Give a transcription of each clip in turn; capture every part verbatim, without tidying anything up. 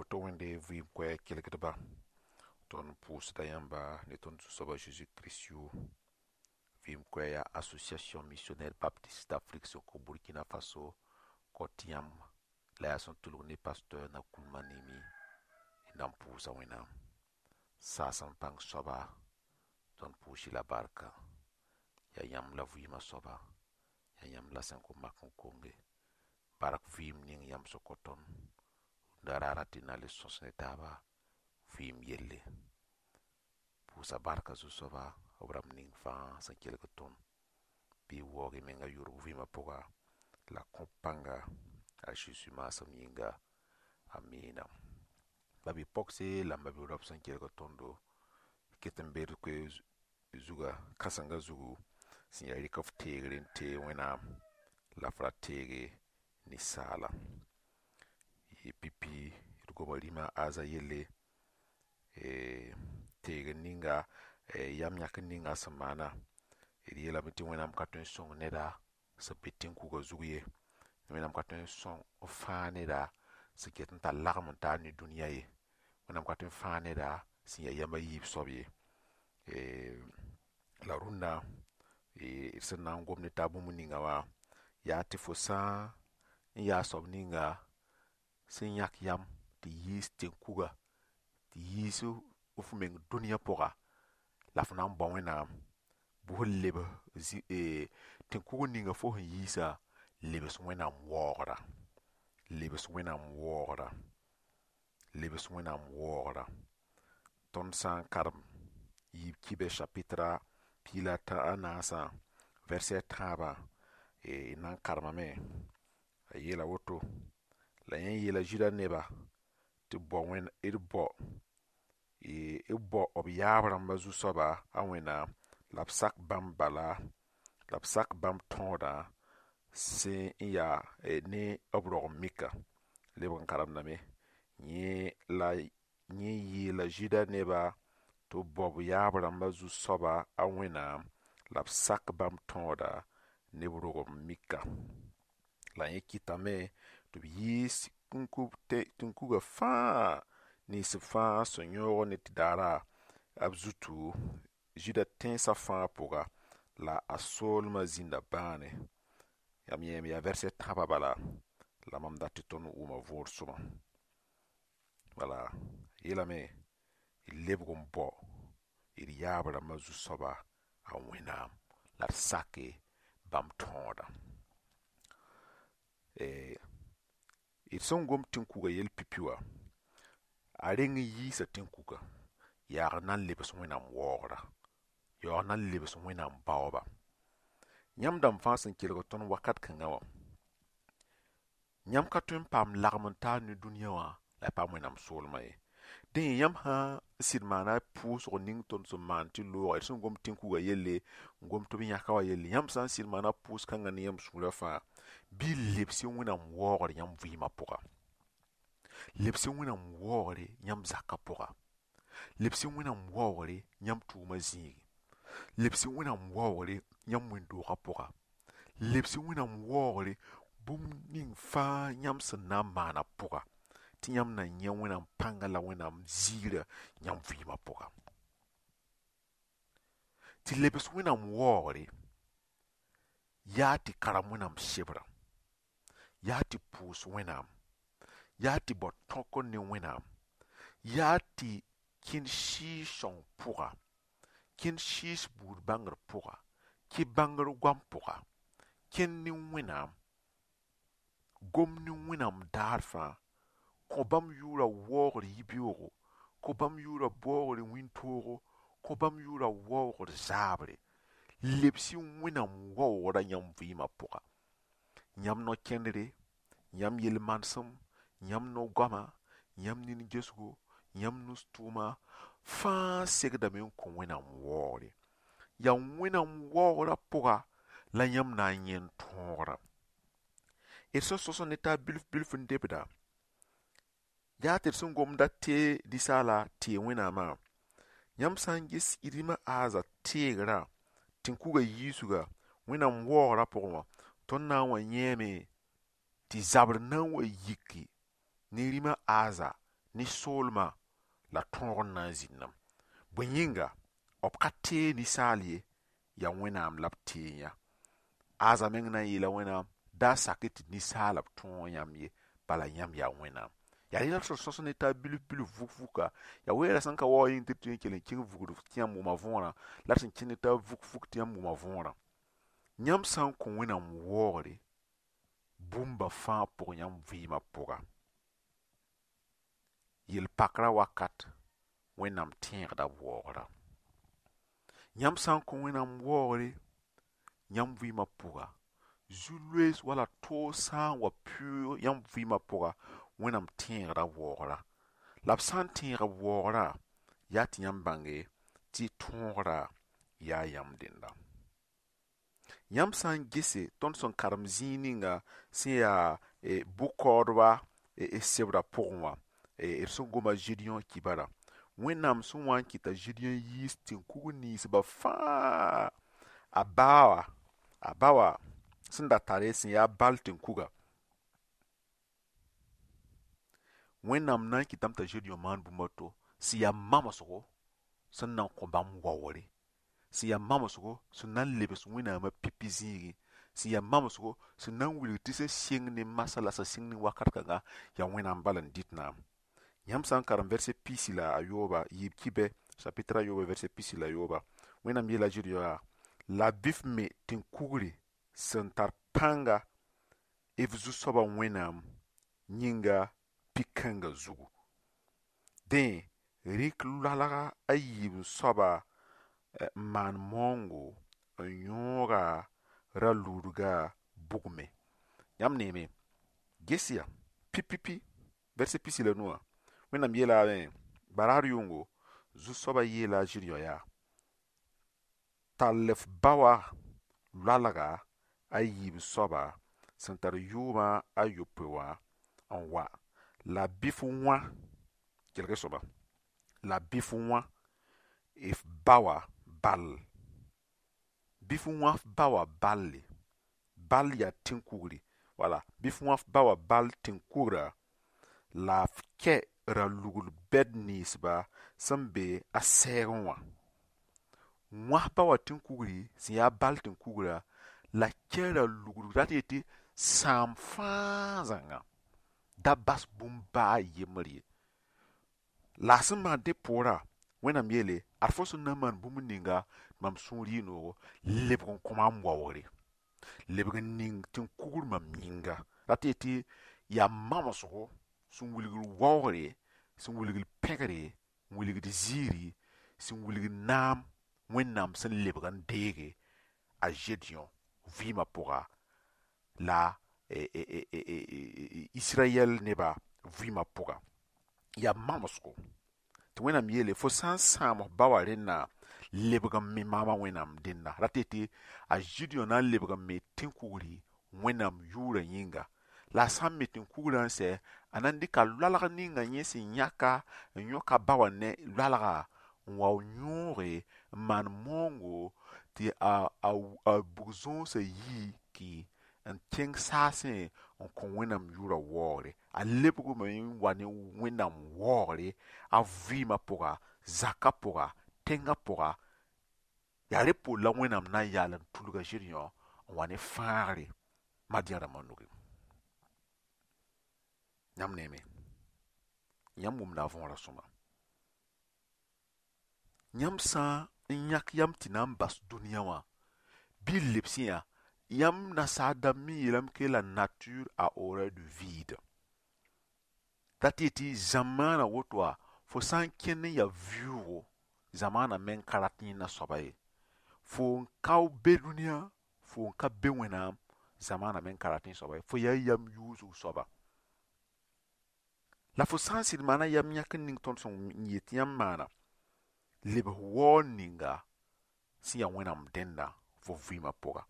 Woto wẽnde vɩɩm koɛɛg kelgdba, tõnd pʋʋsda yãmba ne tõnd Zu-soaba Zeezi Kirist yʋʋr. Vɩɩm koɛɛg yaa Association Missionnaire Baptiste d'Afrique sẽn kõ Burkina Faso kõt yãmb la yaa sẽn tʋlg ne pasteur Nakoulma Nimi d na n pʋʋsa Wẽnnaam. Saasem pãng soaba, tõnd pʋʋs-y la barka. Yaa yãmb la vɩɩmã soaba, yaa yãmb la sẽn kõn mak n konge. Bark vɩɩm ning yãmb sẽn kõ tõnd rũndã raara tɩ na le sõs ne taaba vɩɩm yelle. Pʋʋsa barka Zu-soaba b rãmb ning fãa sẽn kelg tõnd bɩ y waoog y menga yʋrg vɩɩmã pʋga la kõ pãnga a Zeezi maasem yĩnga. Amina. Ba-bi-pogse la m ba-bi-raop sẽn kelg tõndo ket n be d koe zuga kãsenga zugu sẽn yaa rɩk f teegre n teeg Wẽnnaam la f ra teege ninsaala. Yɩ pipi d goma rĩma Aza yelle, teegr ninga, yam yãkr ninga sẽn maana. D yeelame tɩ Wẽnnaam ka tõe n sõng neda sẽn be tẽn-kuga zug ye. Wẽnnaam ka tõe n sõng n fãag neda sẽn ket n tar lagem n taar ne dũniyã ye. Wẽnnaam ka tõe n fãag neda sẽn yaa yam a yiib soab ye. La rũndã d sẽn na n gom ne taab bũmb ninga wã yaa tɩ fo sã n yaa soab ninga sẽn yãk yam tɩ yiis tẽn-kuga, tɩ yiis f meng dũniyã pʋga la f na n bao Wẽnnaam bɩ f lebs tẽn-kug ninga fo sẽn yiisa, lebs Wẽnnaam waoogra, lebs Wẽnnaam waoogra, lebs Wẽnnaam waoogra. Tõnd sã n karem yiib kibɛ chapitre piig la a naasã, verset tãabã, d na n karemame. A yeela woto la yẽ yeela Zĩda neba tɩ bao d bao b bao b yaab rãmbã zu-soaba a Wẽnnaam la b sak bãmb bala la b sak bãmb tõodã sẽn yaa ne b rog n mika. Lebg n karemdame yẽ la yẽ yeela Zĩda neba tɩ b bao b yaab rãmbã zu-soaba a Wẽnnaam la b sak bãmb tõoda ne b rog n mika. La yẽ kɩtame tɩ b yiis tẽn-kuga fãa nins b fãa sẽn yõog ne tɩ daara b zutu Zĩda tẽnsã fãa pʋga la a soolmã zĩnda bãane. Yãmb yẽeme yaa verset tãabã bala la mam dat tɩ tõnd wʋma võor sõma. Wala yeelame d lebg n bao d yaab rãmbã zu-soaba a Wẽnnaam la d sake bãmb tõodã. D sẽn gom tẽn-kuga yell pipi wã, a reng n yiisa tẽn-kuga yaag n na n lebs Wẽnnaam waoogra, yaoog n na n lebs Wẽnnaam baooba. Yãmb dãmb fãa sẽn kelg tõnd wakat kãngã wã, yãmb ka tõe n paam lagem n taar ne dũniyã wã la y paam Wẽnnaam soolmã ye. Dẽ yãmb sã n sɩd maana pʋʋsg ning tõnd sẽn maan tɩ looga, d sẽn gom tẽn-kuga yelle, n gom tɩ b yãka wã yelle, yãmb sã n sɩd maana pʋʋs kãngã ne yãmb sũurã fãa, bɩ y lebs Wẽnnaam waoogr yãmb vɩɩmã pʋga. Lebs Wẽnnaam waoogre yãmb zakã pʋga. Lebs Wẽnnaam waoogre yãmb tʋʋmã zĩigi. Lebs Wẽnnaam waoogre yãmb wẽnd-doogã pʋga. Lebs Wẽnnaam waoogre bũmb ning fãa yãmb sẽn na n maana pʋga tɩ yãmb na yẽ Wẽnnaam pãnga la Wẽnnaam ziirã yãmb vɩɩmã pʋga. Tɩ lebs Wẽnnaam waoogre yaa tɩ karem Wẽnnaam sebrã, yaa tɩ pʋʋs Wẽnnaam, yaa tɩ bao tõk ne Wẽnnaam, yaa tɩ kẽnd sɩɩg-sõng pʋga, kẽnd sɩɩs buud bãngr pʋga, kɩ bãngr goam pʋga, kẽnd ne Wẽnnaam, gom ne Wẽnnaam daar fãa, kõ bãmb yʋʋra waoogr yibeoogo, kõ bãmb yʋʋra baoogr wĩntoogo, kõ bãmb yʋʋra waoogr zaabre. Lebs-y Wẽnnaam waoogra yãmb vɩɩmã pʋga. Yãmb no-kẽndre, yãmb yel-manesem, yãmb no-goama, yãmb nin-gesgo, yãmb nus-tʋʋma fãa segdame n kõ Wẽnnaam waoogre. Yaa Wẽnnaam waoogra pʋga la yãmb na n yẽ tõogra. D sẽn sõs ne taab bilf bilf n debda, yaa tɩ d sẽn gomda tee ninsaala tee Wẽnnaamã, yãmb sã n ges rĩmã Aza teegrã tẽn-kuga yiisga Wẽnnaam waoogra pʋgẽ wã, tõnd na n wa yẽeme tɩ zabr na n wa yiki ne rĩmã Aza ne Ne soolmã la tõog n na n zĩndame. Bõe yĩnga b ka tee ninsaal ye, yaa Wẽnnaam la b tee yã. Aza meng na n yeela Wẽnnaam da sak tɩ ninsaala b tõog yãmb ye, bala yãmb yaa Wẽnnaam. Yaa rẽ la d sõs ne taab bilf bilf vuk vuka. Yaa weera sẽn ka waoog yĩng tɩ d tõe n kell n kẽng vugd tɩ yãmb wʋma võorã, la d sẽn kẽnd ne taab vuk vuk tɩ yãmb wʋma võorã. Yãmb sã n kõ Wẽnnaam waoogre bũmba fãa pʋg yãmb vɩɩmã pʋga, yel-pakrã wakat Wẽnnaam tẽegda b waoogrã. Yãmb sã n kõ Wẽnnaam waoogre yãmb vɩɩmã pʋga, zu-loees wala toog sã n wa pʋʋg yãmb vɩɩmã pʋga, Wẽnnaam tẽegda b waoogrã. La b sã n tẽeg b waoogrã, yaa tɩ yãmb bãnge tɩ tõogra yaa yãmb dẽnda. Yãmb sã n gese tõnd sẽn karem zĩig ninga sẽn yaa bʋ-kaoodba sebrã pʋgẽ wã, d sẽn goma Gedeon kibara, Wẽnnaam sẽn wa n kɩta Gedeon yiis tẽn-kugr ninsbã fãa, a ba wã, a ba wã sẽn da tare sẽn yaa bal tẽn-kuga, Wẽnnaam na n kɩtame t'a Gedeon maan bũmb a to sẽn yaa mamsgo sẽn na n kõ bãmb waoogre, sẽn yaa mamsgo sẽn na n lebs Wẽnnaamã pipi zĩigẽ, sẽn yaa mamsgo sẽn na n wilg tɩ sẽn sɩng ne masã la sẽn sɩng ne wakat kãnga yaa Wẽnnaam bal n dɩt naam. Yãmb sã n karem verset pisi la a yooba, yiib kibɛ chapitre a yooba verset pisi la yooba, Wẽnnaam yeela Gedeon yaa la bɩ f me tẽn-kugre sẽn tar pãnga f zu-soabã Wẽnnaam yĩnga pi-kãngã zugu. Dẽ rɩk loalga a yiib soaba n maan maoongo n yõoga ra-ludga bugme. Yãmb neeme, ges ya pipipi verset pisi la nu wã, Wẽnnaam yeelame baraar yʋngo zu-soabã yeela a Gedeon yaa tall f ba wã loalga a yiib soaba sẽn tar yʋʋmã a yopoe wã n wa la bɩ f wã, kelg sõma, la bɩ f wã f ba wã bal, bɩ f wã f ba wã balle, bal yaa tẽn-kugri, wala bɩ f wã f ba wã bal tẽn-kugrã la f kɛ ra-lugl bɛd ninsba sẽn be a sɛɛgẽ wã. Wãs ba wã tẽn-kugri sẽn yaa bal tẽn-kugrã la kɛ ra-lugl rat yetɩ sãam fãa zãnga da bas bũmb baa a yembr ye. La a sẽn maan dẽ poorã, Wẽnnaam yeele ad fo sẽn na n maan bũmb ninga tɩ mam sũur yɩ noogo, lebg n kõ maam waoogre, lebg n ning tẽn-kugr mam yĩnga. Rat yetɩ yaa mamsgo sẽn wilgd waoogre, sẽn wilgd pẽgre, n wilgd ziiri, sẽn wilgd naam Wẽnnaam sẽn lebg n deege a Gedeon vɩɩmã pʋga la Israyɛl nebã vɩɩmã pʋga. Yaa mamsgo tɩ Wẽnnaam yeele fo sã n sãam f ba wã rẽnna lebg n me maamã Wẽnnaam dẽnda. Rat yetɩ a Gedeon na n lebg n me tẽn-kugri Wẽnnaam yʋʋrã yĩnga. La a sã n me tẽn-kugrã n sɛ, a na n dɩka loalg ninga yẽ sẽn yãka n yõka ba wã ne loalga n wa yõoge n maan maoongo tɩ a a bug-zõosã yii ki n kẽng saasẽ n kõ Wẽnnaam yʋʋrã waoogre. A lebgme n wa ne Wẽnnaam waoogre a vɩɩmã pʋga, zakã pʋga, tẽngã pʋga. Yaa rẽ poor la Wẽnnaam na n yaal n tulga Gedeon n wa ne fãagre Madian rãmbã nugẽ. Yãmb neeme, yãmb wʋmda a võorã sõma. Yãmb sã n yãk yam tɩ na n bas dũniyã wã, bɩ y lebs yã, yãmb nasaar dãmb me yeelame que la nature a horreur du vide. Rat yetɩ zamaana woto wã, fo sã n kẽnd n yaa vɩʋʋgo, zamaana meng ka rat yẽnda soaba ye. Fo n ka be dũniyã, fo n ka be Wẽnnaam, zamaana meng ka rat yẽ soaba ye. Fo yaa yam yuusg soaba. La fo sã n sɩd maana yam yãk n ning tõnd sẽn yet yãmb maana, lebs waoor ninga sẽn yaa Wẽnnaam dẽnda fo vɩɩmã pʋga,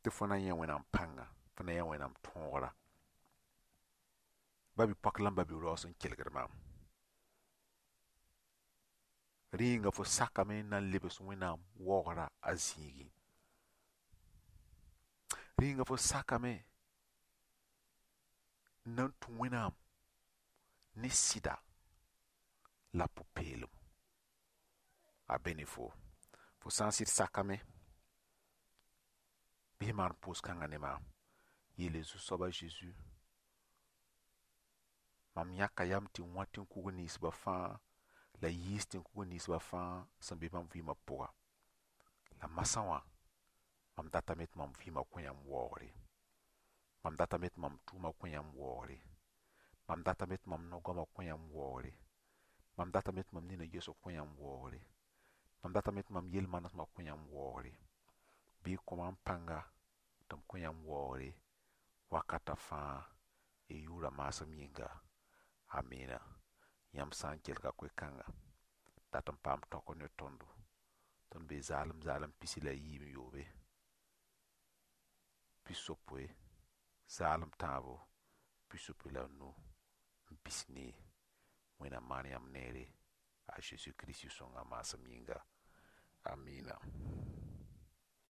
tɩ fo na yẽ Wẽnnaam pãnga, fo na yẽ Wẽnnaam tõogra. Ba-bi-poak la ba-bi-raoog sẽn kelgd maam. Rẽ yĩnga fo sakame n na n lebs Wẽnnaam waoogrã a zĩigẽ. Rẽ yĩnga fo sakame n na n tũ Wẽnnaam ne sɩda. La pʋ-peelem a be ne fo. Fo sã n sɩd sakame, bɩ f maan pʋʋs-kãngã ne maam. Yeele Zu-soaba Zeezi, mam yãka yam tɩ wã tẽn-kug ninsbã fãa la yiis tẽn-kug ninsbã fãa sẽn be mam vɩɩmã pʋga. La masã wã, mam datame tɩ mam vɩɩmã kõ yãmb waoogre. Mam datame tɩ mam tʋʋmã kõ yãmb waoogre. Mam datame tɩ mam no-goamã kõ yãmb waoogre. Mam datame tɩ mam nina gesg kõ yãmb waoogre. Mam datame tɩ mam yel-manesmã kõ yãmb waoogre. Bɩ y kõ mam pãnga tɩ m kõ yãmb waoogre wakata fãa y yʋʋra maasem yĩnga. Amina. Yãmb sã n kelga koe-kãnga, dat n paam tɔk ne tõndo. Tõnd bee zaalem zaalem pisi la yiib n yoobe, pisopoe, zaalem tãabo, pisopoe la nu n pis nii. Wẽnnaam maan yãmb neere a Zeezi Kirist sõnga maasem yĩnga.